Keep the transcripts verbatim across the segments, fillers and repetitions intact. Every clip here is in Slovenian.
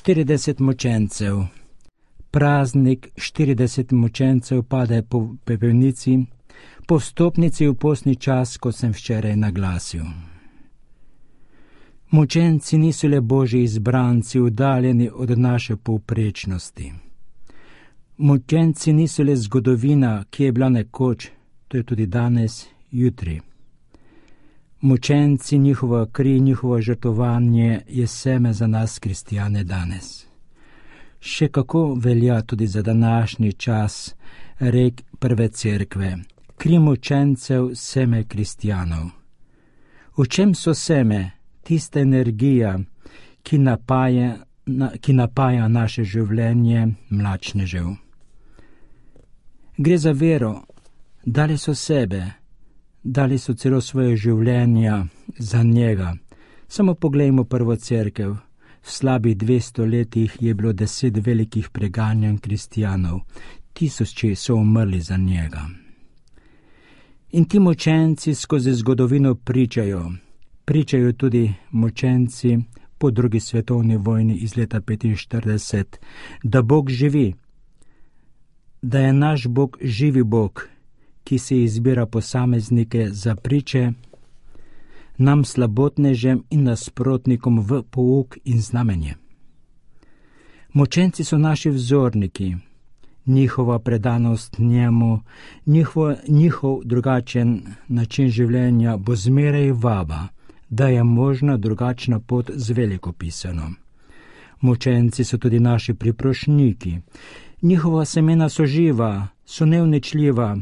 štirideset mučencev. Praznik štirideset mučencev pade po pepelnici, po vstopnici v postni čas, kot sem včeraj naglasil. Mučenci niso le Božji izbranci, uddaljeni od naše povprečnosti. Mučenci niso le zgodovina, ki je bila nekoč, to je tudi danes, jutri. Mučenci, njihova kri, njihovo žrtvovanje je seme za nas, kristjane, danes. Še kako velja tudi za današnji čas rek prve cerkve. Kri mučencev, seme kristjanov. V čem so seme? Tista energija, ki napaja, na, ki napaja naše življenje mlačnežev. Gre za vero, dali so sebe, dali so celo svoje življenja za njega. Samo poglejmo prvo cerkev. V slabih dvesto letih je bilo deset velikih preganjanj kristjanov. Tisoči so umrli za njega. In ti mučenci skozi zgodovino pričajo. Pričajo tudi mučenci po drugi svetovni vojni iz leta petinštirideset, da Bog živi, da je naš Bog živi Bog, ki se izbira posameznike za priče, nam slabotnežem in nasprotnikom v pouk in znamenje. Mučenci so naši vzorniki, njihova predanost njemu, njihov, njihov drugačen način življenja bo zmeraj vaba, da je možna drugačna pot z velikopisanom. Mučenci so tudi naši priprošniki. Njihova semena so živa, so neuničljiva.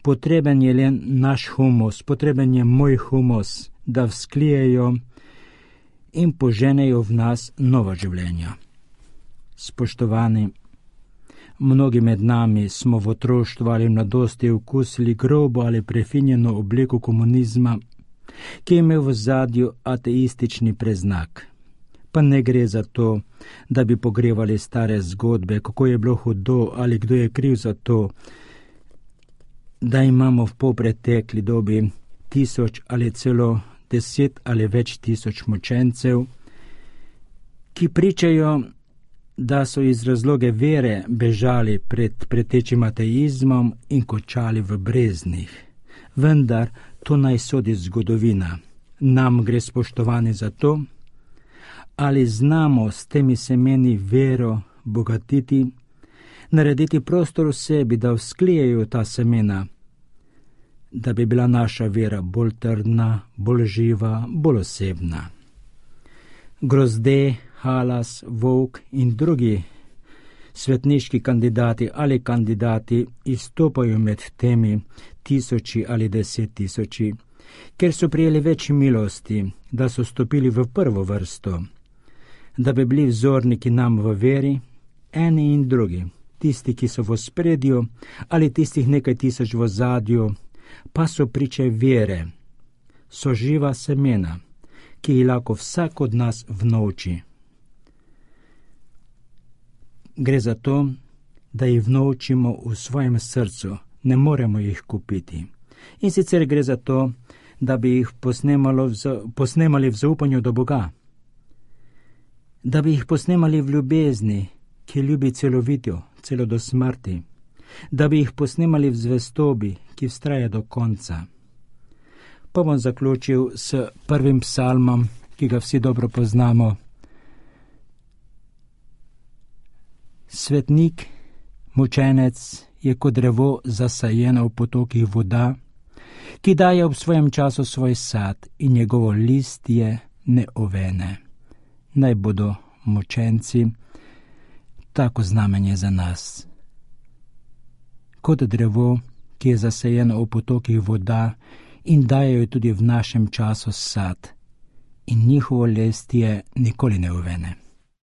Potreben je le naš humus, potreben je moj humus, da vzklijejo in poženejo v nas nova življenja. Spoštovani, mnogi med nami smo v otroštvu ali mladosti okusili grobo ali prefinjeno obliko komunizma, ki je imel v zadju ateistični preznak. Pa ne gre za to, da bi pogrevali stare zgodbe, kako je bilo hudo ali kdo je kriv za to, da imamo v popretekli dobi tisoč ali celo deset ali več tisoč mučencev, ki pričajo, da so iz razloge vere bežali pred pretečim ateizmom in končali v breznih. Vendar to naj sodi zgodovina. Nam gre, spoštovani, za to, ali znamo s temi semeni vero bogatiti, narediti prostor v sebi, da vzklijejo ta semena, da bi bila naša vera bolj trdna, bolj živa, bolj osebna. Grozde, Halas, Volk in drugi svetniški kandidati ali kandidati izstopajo med temi tisoči ali deset tisoči, ker so prijeli več milosti, da so stopili v prvo vrsto, da bi bili vzorniki nam v veri, eni in drugi, tisti, ki so v ospredju ali tistih nekaj tisoč v ozadju, pa so priče vere, so živa semena, ki jih lahko vsak od nas vnovči. Gre za to, da jih vnovčimo v svojem srcu, ne moremo jih kupiti. In sicer gre za to, da bi jih posnemali v zaupanju do Boga, da bi jih posnemali v ljubezni, ki ljubi celovito, celo do smrti, da bi jih posnemali v zvestobi, ki vztraja do konca. Pa bom zaključil s prvim psalmom, ki ga vsi dobro poznamo. Svetnik, mučenec je kot drevo zasajeno v potokih voda, ki daje ob svojem času svoj sad in njegovo listje ne ovene. Naj bodo mučenci tako znamenje za nas. Kot drevo, ki je zasajeno v potokih voda in dajejo tudi v našem času sad in njihovo listje nikoli ne ovene.